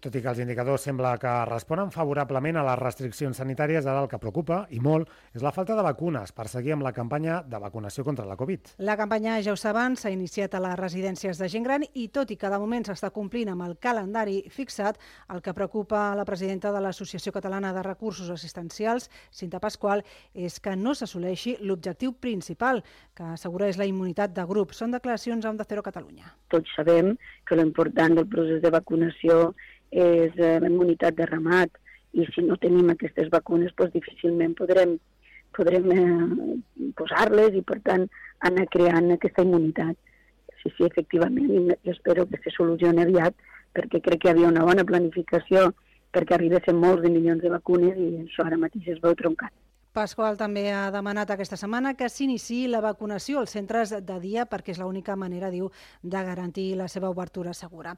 Tot i que els indicadors sembla que responen favorablement a les restriccions sanitàries, ara el que preocupa, i molt, és la falta de vacunes per seguir amb la campanya de vacunació contra la Covid. La campanya, ja ho saben, s'ha iniciat a les residències de gent gran i tot i que de moment s'està complint amb el calendari fixat, el que preocupa a la presidenta de l'Associació Catalana de Recursos Assistencials, Cinta Pasqual, és que no s'assoleixi l'objectiu principal, que assegura és la immunitat de grup. Són declaracions a Onda Cero Catalunya. Tots sabem que l'important del procés de vacunació és la immunitat de ramat i si no tenim aquestes vacunes doncs difícilment podrem posar-les i per tant anar creant aquesta immunitat. Sí, efectivament, jo espero que se solucioni aviat perquè crec que hi havia una bona planificació perquè arribessin molts de milions de vacunes i això ara mateix es veu troncat. Pasqual també ha demanat aquesta setmana que s'iniciï la vacunació als centres de dia perquè és l'única manera, diu, de garantir la seva obertura segura.